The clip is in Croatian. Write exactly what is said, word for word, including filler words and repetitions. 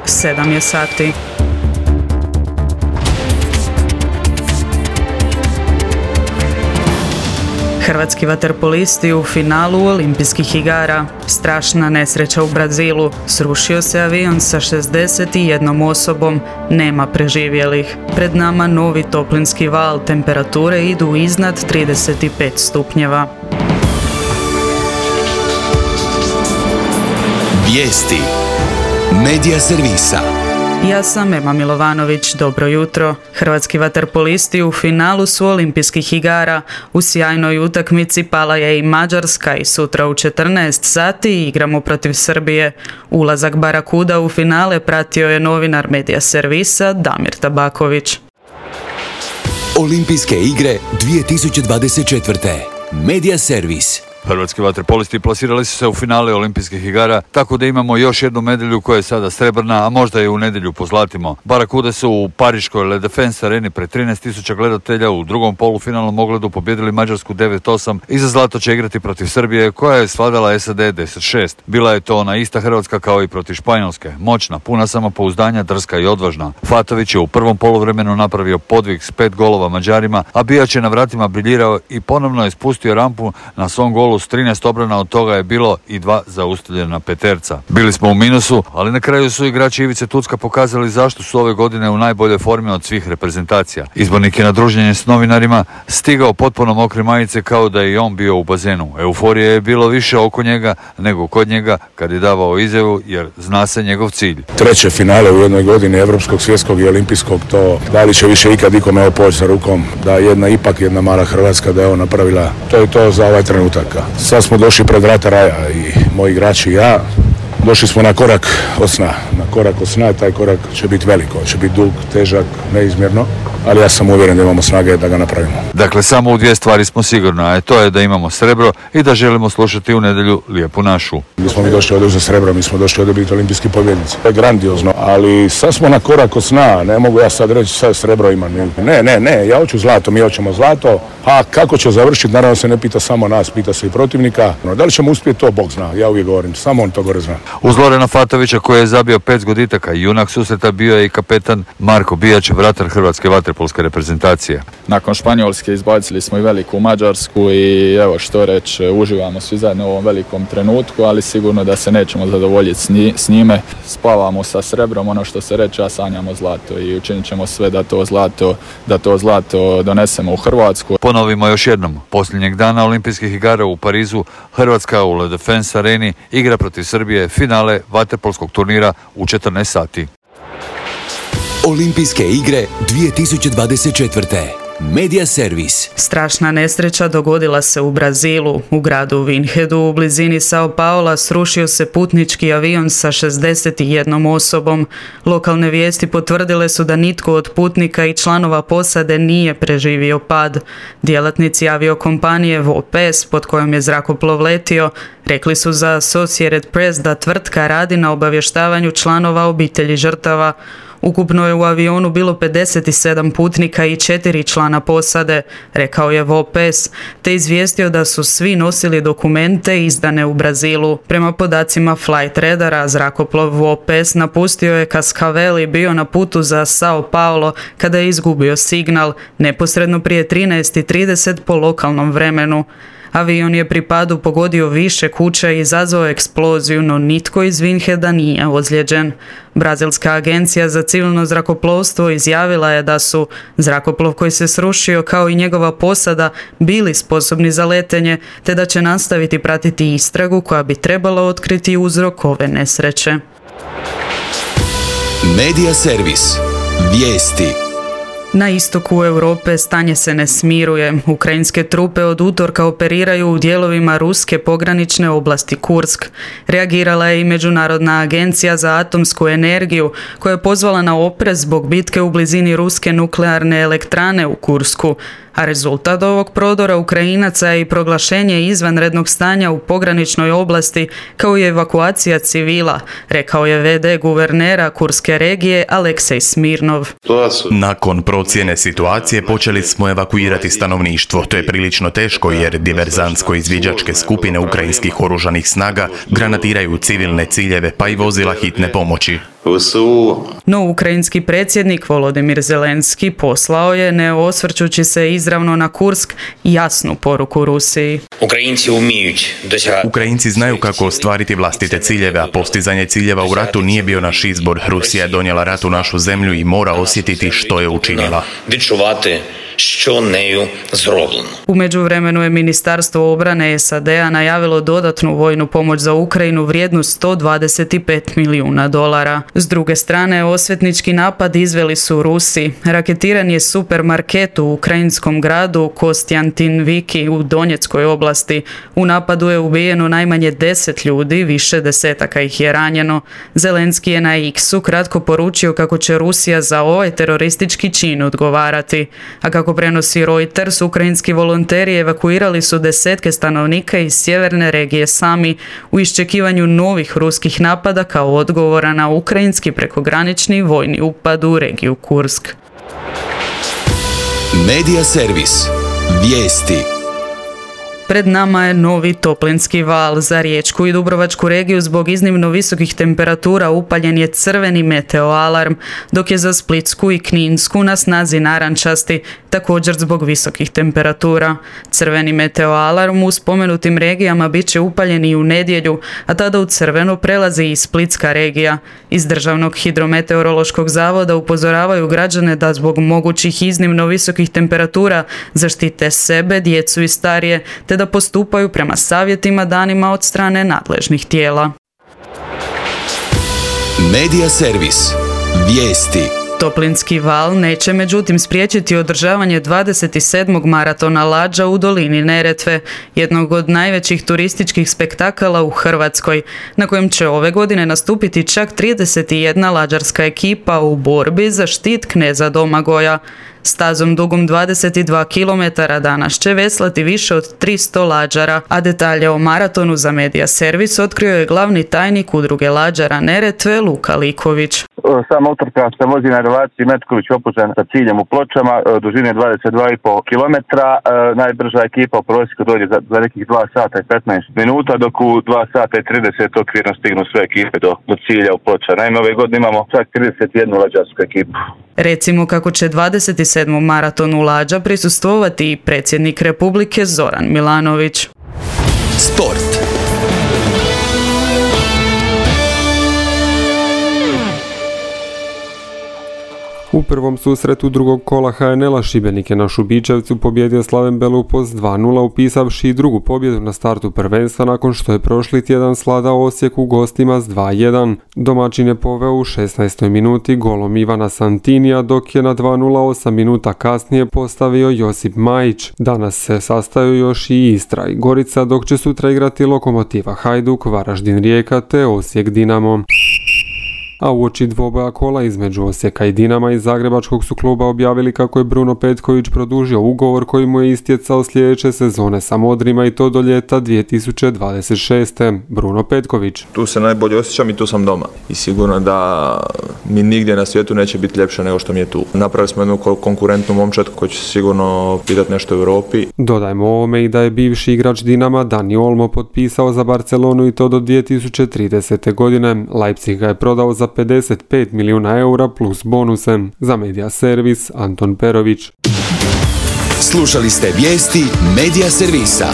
sedam je sati. Hrvatski vaterpolisti u finalu olimpijskih igara. Strašna nesreća u Brazilu. Srušio se avion sa šezdeset jednom osobom. Nema preživjelih. Pred nama novi toplinski val. Temperature idu iznad trideset pet stupnjeva. Vijesti Medija servisa. Ja sam Ema Milovanović, dobro jutro. Hrvatski vaterpolisti u finalu su olimpijskih igara. U sjajnoj utakmici pala je i Mađarska i sutra u četrnaest sati igramo protiv Srbije. Ulazak Barakuda u finale pratio je novinar Medija servisa Damir Tabaković. Olimpijske igre dvije tisuće dvadeset četvrte. Medija servis. Hrvatski vaterpolisti plasirali su se u finale olimpijskih igara, tako da imamo još jednu medalju koja je sada srebrna, a možda je u nedjelju pozlatimo. Barakude su u pariškoj Le Défense areni pred trinaest tisuća gledatelja u drugom polufinalnom ogledu pobjedili Mađarsku devet osam i za zlato će igrati protiv Srbije koja je svladala S A D deset šest. Bila je to ona ista Hrvatska kao i protiv Španjolske. Moćna, puna samopouzdanja, drska i odvažna. Fatović je u prvom poluvremenu napravio podvig s pet golova Mađarima, a Bijač je na vratima briljirao i ponovno je spustio rampu na svom golu s trinaest obrana, od toga je bilo i dva zaustavljena peterca. Bili smo u minusu, ali na kraju su igrači Ivice Tucka pokazali zašto su ove godine u najboljoj formi od svih reprezentacija. Izbornik je na druženje s novinarima stigao potpuno mokre majice kao da je i on bio u bazenu. Euforije je bilo više oko njega nego kod njega kad je davao izjavu, jer zna se njegov cilj. Treće finale u jednoj godini evropskog, svjetskog i olimpijskog, to da li će više ikad ikome ovo poći za rukom, da jedna ipak jedna mala Hrvatska da je ovo napravila, to je to za ovaj trenutak. Sad smo došli pred vrata raja i moji igrači i ja. Došli smo na korak od sna. Na korak od sna, taj korak će biti veliko, će biti dug, težak, neizmjerno, ali ja sam uvjeren da imamo snage da ga napravimo. Dakle, samo u dvije stvari smo sigurni, a to je da imamo srebro i da želimo slušati u nedjelju lijepu našu. Mi smo mi došli ovdje za srebro, mi smo došli ovdje biti olimpijski pobjednici. To je grandiozno, ali sad smo na korak od sna, ne mogu ja sad reći sad srebro ima. Ne, ne, ne, ja hoću zlato, mi hoćemo zlato, a kako će završiti, naravno se ne pita samo nas, pita se i protivnika. Da li ćemo uspjeti, to Bog zna, ja uvijek govorim, samo on to gore zna. Uz Lorena Fatovića koji je zabio pet zgoditaka, junak susreta bio je i kapetan Marko Bijač, vratar hrvatske vaterpolske reprezentacije. Nakon Španjolske izbacili smo i veliku Mađarsku i evo što reći, uživamo svi zajedno u ovom velikom trenutku, ali sigurno da se nećemo zadovoljiti s njime. Spavamo sa srebrom, ono što se reče, a sanjamo zlato i učinit ćemo sve da to zlato, da to zlato donesemo u Hrvatsku. Ponovimo još jednom, posljednjeg dana olimpijskih igara u Parizu, Hrvatska u Le Défense areni igra protiv Srbije finale vaterpolskog turnira u četrnaest sati. Olimpijske igre dvije tisuće dvadeset četvrte. Medija servis. Strašna nesreća dogodila se u Brazilu. U gradu Vinhedu u blizini Sao Paula srušio se putnički avion sa šezdeset jednom osobom. Lokalne vijesti potvrdile su da nitko od putnika i članova posade nije preživio pad. Djelatnici aviokompanije V O P E S pod kojom je zrakoplov letio rekli su za Associated Press da tvrtka radi na obavještavanju članova obitelji žrtava. Ukupno je u avionu bilo pedeset sedam putnika i četiri člana posade, rekao je V O P E S, te izvijestio da su svi nosili dokumente izdane u Brazilu. Prema podacima Flight Radara, zrakoplov V O P E S napustio je Cascavel i bio na putu za Sao Paulo kada je izgubio signal, neposredno prije trinaest i trideset po lokalnom vremenu. Avion je pri padu pogodio više kuća i izazvao eksploziju, no nitko iz Vinheda nije ozlijeđen. Brazilska agencija za civilno zrakoplovstvo izjavila je da su zrakoplov koji se srušio kao i njegova posada bili sposobni za letenje, te da će nastaviti pratiti istragu koja bi trebala otkriti uzrok ove nesreće. Medija servis. Vijesti. Na istoku Europe stanje se ne smiruje. Ukrajinske trupe od utorka operiraju u dijelovima ruske pogranične oblasti Kursk. Reagirala je i Međunarodna agencija za atomsku energiju, koja je pozvala na oprez zbog bitke u blizini ruske nuklearne elektrane u Kursku. A rezultat ovog prodora Ukrajinaca je i proglašenje izvanrednog stanja u pograničnoj oblasti, kao i evakuacija civila, rekao je ve de guvernera Kurske regije Aleksej Smirnov. Nakon procjene situacije počeli smo evakuirati stanovništvo. To je prilično teško jer diverzantsko-izviđačke skupine ukrajinskih oružanih snaga granatiraju civilne ciljeve pa i vozila hitne pomoći. No, ukrajinski predsjednik Volodimir Zelenski poslao je, ne osvrćući se izravno na Kursk, jasnu poruku Rusiji. Ukrajinci znaju kako ostvariti vlastite ciljeve, a postizanje ciljeva u ratu nije bio naš izbor. Rusija je donijela rat u našu zemlju i mora osjetiti što je učinila. Što neju zrovljeno. U međuvremenu je Ministarstvo obrane S A D-a najavilo dodatnu vojnu pomoć za Ukrajinu vrijednu sto dvadeset pet milijuna dolara. S druge strane, osvetnički napad izveli su Rusi. Raketiran je supermarket u ukrajinskom gradu Kostjantin-Viki u Donjeckoj oblasti. U napadu je ubijeno najmanje deset ljudi, više desetaka ih je ranjeno. Zelenski je na X-u kratko poručio kako će Rusija za ovaj teroristički čin odgovarati. A kako prenosi Reuters, ukrajinski volonteri evakuirali su desetke stanovnika iz sjeverne regije Sami u iščekivanju novih ruskih napada kao odgovora na ukrajinski prekogranični vojni upad u regiju Kursk. Medija servis. Vijesti. Pred nama je novi toplinski val. Za Riječku i Dubrovačku regiju zbog iznimno visokih temperatura upaljen je crveni meteo alarm, dok je za Splitsku i Kninsku na snazi narančasti, također zbog visokih temperatura. Crveni meteo alarm u spomenutim regijama bit će upaljen i u nedjelju, a tada u crveno prelazi i Splitska regija. Iz Državnog hidrometeorološkog zavoda upozoravaju građane da zbog mogućih iznimno visokih temperatura zaštite sebe, djecu i starije, te da postupaju prema savjetima danima od strane nadležnih tijela. Medija servis. Vijesti. Toplinski val neće međutim spriječiti održavanje dvadeset sedmog maratona lađa u dolini Neretve, jednog od najvećih turističkih spektakala u Hrvatskoj, na kojem će ove godine nastupiti čak trideset jedna lađarska ekipa u borbi za štit kneza Domagoja. Stazom dugom dvadeset dva kilometara danas će veslati više od tristo lađara, a detalje o maratonu za Medija servis otkrio je glavni tajnik udruge lađara Neretve Luka Liković. Sama utrka se vozi na relaciji Metković-Opuzen sa ciljem u Pločama, dužine dvadeset dva i pol kilometra. Najbrža ekipa u prosjeku dođe za, za nekih dva sata i petnaest minuta, dok u dva sata i trideset okvirno stignu sve ekipe do, do cilja u Ploča. Naime, ove godine imamo čak trideset jednu lađarsku ekipu. Recimo kako će dvadeset sedmom maratonu lađa prisustvovati i predsjednik Republike Zoran Milanović. Sport. U prvom susretu drugog kola H N L-a Šibenik je na Šubičevcu pobjedio Slaven Belupos dva nula upisavši drugu pobjedu na startu prvenstva nakon što je prošli tjedan svladao Osijek u gostima s dva jedan. Domaćin je poveo u šesnaestoj minuti golom Ivana Santinija, dok je na dva nula osam minuta kasnije postavio Josip Majić. Danas se sastaju još i Istra i Gorica, dok će sutra igrati Lokomotiva Hajduk, Varaždin Rijeka te Osijek Dinamo. A uoči dvoboja kola između Osijeka i Dinama iz zagrebačkog su kluba objavili kako je Bruno Petković produžio ugovor koji mu je istjecao sljedeće sezone sa Modrima i to do ljeta dvije tisuće dvadeset šeste. Bruno Petković. Tu se najbolje osjećam i tu sam doma. I sigurno da mi nigdje na svijetu neće biti ljepše nego što mi je tu. Napravili smo jednu konkurentnu momčad koji će sigurno pitati nešto u Europi. Dodajmo ovome i da je bivši igrač Dinama Dani Olmo potpisao za Barcelonu i to do dvije tisuće tridesete. godine. Leipzig ga je prodao za pedeset pet milijuna eura plus bonuse. Za Medija servis Anton Perović. Slušali ste vijesti Medija servisa.